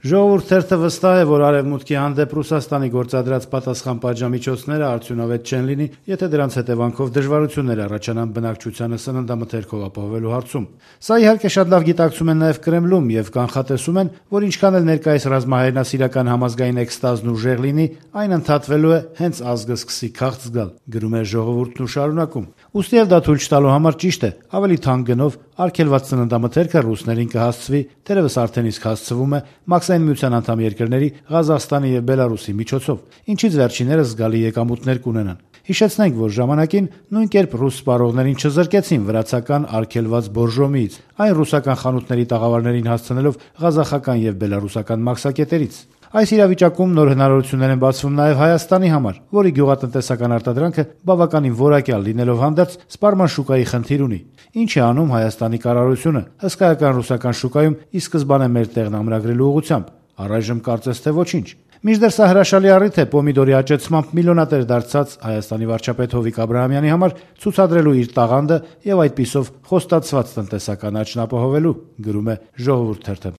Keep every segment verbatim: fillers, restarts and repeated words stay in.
Ժողովուրդ թերթը վստահ է, որ Արևմուտքի հանդեպ Ռուսաստանի գործադրած պատասխան պատժամիջոցները արդյունավետ չեն լինի, եթե դրանց հետևանքով դժվարություններ առաջանան բնակչությանը սննդամթերքով ապահովելու հարցում։ Սա իհարկե շատ լավ գիտակցում են նաև Կրեմլում եւ կանխատեսում են, որ ինչքան էլ ներկայիս ռազմահայրենասիրական համազգային էքստազն ուժեղ լինի, այն ընդհատվելու է հենց ազգը սկսի քաղց զգալ, գրում է Ժողովուրդն ու շարունակում։ Ուստի եւ դա թույլ չտալու համար ճիշտ է, ավելի թանկ գնով արգելված սննդամթերքը ռուսներին կհասցվի, թերևս արդեն իսկ հասցվում է Մաքսային միության անդամ երկրների Ղազախստանի եւ Բելարուսի միջոցով, ինչից վերջիններս զգալի եկամուտներ կունենան։ Հիշեցնենք, որ ժամանակին նույն կերպ ռուս սպառողներին չզրկեցին վրացական արգելված բորժոմիից, այն ռուսական խանութների տաղավարներին հասցնելով ղազախական եւ բելարուսական մաքսակետերից։ Այս իրավիճակում նոր հնարավորություններ են բացվում նաև Հայաստանի համար, որի գյուղատնտեսական արտադրանքը բավականին որակյալ լինելով հանդերձ սպառման շուկայի խնդիր ունի։ Ինչ է անում Հայաստանի կառավարությունը հսկայական ռուսական շուկայում ի սկզբանե մեր տեղն ամրագրելու ուղղությամբ։ Առայժմ կարծես թե ոչինչ։ Մինչդեռ սա հրաշալի առիթ է պոմիդորի աճեցմամբ միլիոնատեր դարձած Հայաստանի վարչապետ Հովիկ Աբրահամյանի համար ցուցադրելու իր տաղանդը եւ այդպիսով խոստացված տնտեսական աճն ապահովելու, գրում է Ժողովուրդ թերթը։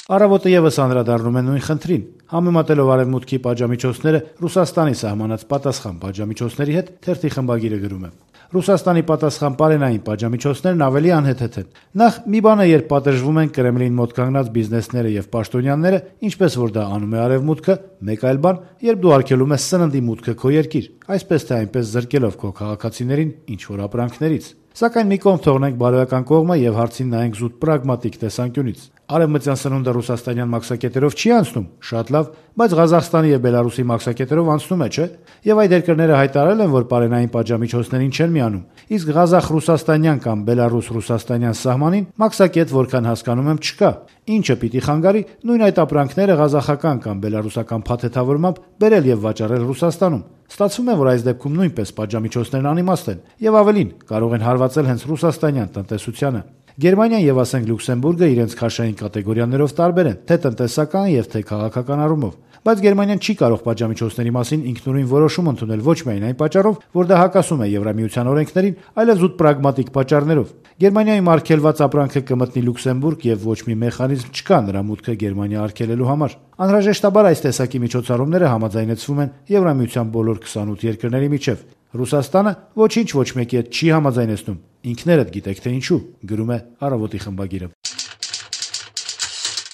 Առավոտը եւս անդրադառնում է նույն խնդրին, համեմատելով Արևմուտքի պատժամիջոցները Ռուսաստանի սահմանած պատասխան պատժամիջոցների հետ, թերթի խմբագիրը գրում է. Ռուսաստանի պատասխան պարենային պատժամիջոցներն ավելի անհեթեթ են։ Նախ մի բան է, երբ պատժվում են Կրեմլին մոտ կանգնած բիզնեսները եւ պաշտոնյաները, ինչպես որ դա անում է Արևմուտքը, մեկ այլ բան, երբ դու արգելում ես սննդի մուտքը քո երկիր, այսպես թե այնպես զրկելով քո քաղաքացիներին ինչ որ ապրանքներից։ Սակայն մի կողմ թողնենք բարոյական կողմը եւ հարցին նայենք զուտ պրագմատիկ տեսանկյունից։ Արևմտյան սնունդը ռուսաստանյան մաքսակետերով չի անցնում, շատ լավ, բայց Ղազախստանի եւ Բելարուսի մաքսակետերով անցնում է, չէ՞։ Եվ այդ երկրները հայտարարել են, որ պարենային պատժամիջոցներին չեն միանում։ Իսկ Ղազախ-ռուսաստանյան կամ Բելարուս-ռուսաստանյան սահմանին մաքսակետ, որքան հասկանում եմ, չկա։ Ինչը պիտի խանգարի նույն այդ ապրանքները ղազախական կամ բելարուսական փաթեթավորմամբ բերել եւ վաճառել Ռուսաստանում։ Ստացվում է, որ այս դեպքում նույնպես պատժամիջոցներն անիմաստ են եւ ավելին կարող են հարվածել հենց ռուսաստանյան տնտեսությանը։ Գերմանիան եւ ասենք Լյուքսեմբուրգը իրենց քաշային կատեգորիաներով տարբեր են, թե տնտեսական եւ թե քաղաքական առումով։ Բայց Գերմանիան չի կարող պատժամիջոցների մասին ինքնուրույն որոշում ընդունել ոչ միայն այն պատճառով, որ դա հակասում է Եվրամիության օրենքներին, այլև զուտ պրագմատիկ պատճառներով։ Գերմանիայում արգելված ապրանքը կմտնի Լյուքսեմբուրգ եւ ոչ մի մեխանիզմ չկա նրա մուտքը Գերմանիա արգելելու համար։ Անհրաժեշտաբար այս տեսակի միջոցառումները համաձայնեցվում են Եվրամիության բոլոր քսանութ երկրների միջև։ Ռուսաստանը ոչինչ ոչ մեկի հետ չի համաձայնեցնում։ Ինքներդ գիտեք թե ինչու, գրում է Առավոտի խմբագիրը։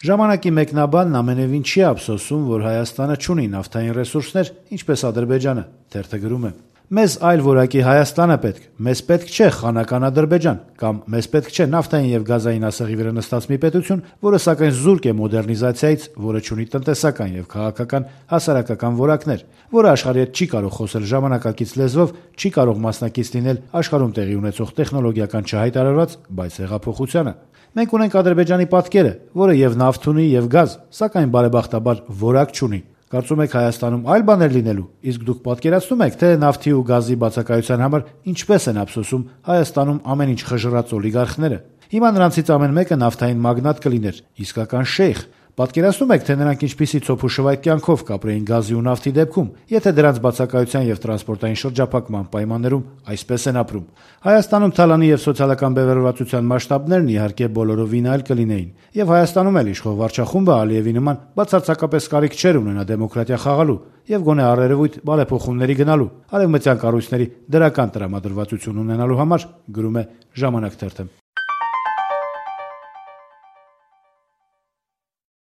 Ժամանակի մեկնաբանն ամենևին չի ափսոսում, որ Հայաստանը չունի նավթային ռեսուրսներ, ինչպես Ադրբեջանը, թերթը գրում է. Մեզ այլ որակի Հայաստան է պետք, մեզ պետք չէ խանական Ադրբեջան, կամ մեզ պետք չէ նավթային եւ գազային ասեղի վրա նստած մի պետություն, որը սակայն զուրկ է մոդեռնիզացիայից, որը չունի տնտեսական եւ քաղաքական հասարակական որակներ, որը աշխարհի հետ չի կարող խոսել ժամանակակից լեզվով, չի կարող մասնակից լինել աշխարհում տեղի ունեցող տեխնոլոգիական չհայտարարված, բայց հեղափոխությանը։ Մենք ունենք Ադրբեջանի պատկերը, որը եւ նավթ ունի եւ գազ, սակայն բարեբախտաբար որակ չունի։ Կարծում եք Հայաստանում այլ բաներ լինելու, իսկ դուք պատկերացնում եք, թե նավթի ու գազի բացակայության համար ինչպես են ափսոսում Հայաստանում ամեն ինչ խժռած օլիգարխները։ Հիմա նրանցից ամեն մեկը նավթային մագնատ կլիներ, իսկական շեյխ։ Պատկերացնում եք, թե նրանք ինչպիսի ցոփ ու շվայտ կյանքով կապրեին գազի ու նավթի դեպքում, եթե դրանց բացակայության եւ տրանսպորտային շրջափակման պայմաններում այսպես են ապրում։ Հայաստանում թալանի եւ սոցիալական բևեռվածության մասշտաբներն իհարկե բոլորովին այլ կլինեին, եւ Հայաստանում էլ իշխող վարչախումբը Ալիևի նման բացարձակապես կարիք չէր ունենա դեմոկրատիա խաղալու եւ գոնե առերևույթ բարեփոխումների գնալու, արևմտյան կառույցների դրական տրամադրվածություն ունենալու համար, գրում է Ժամանակ թերթը։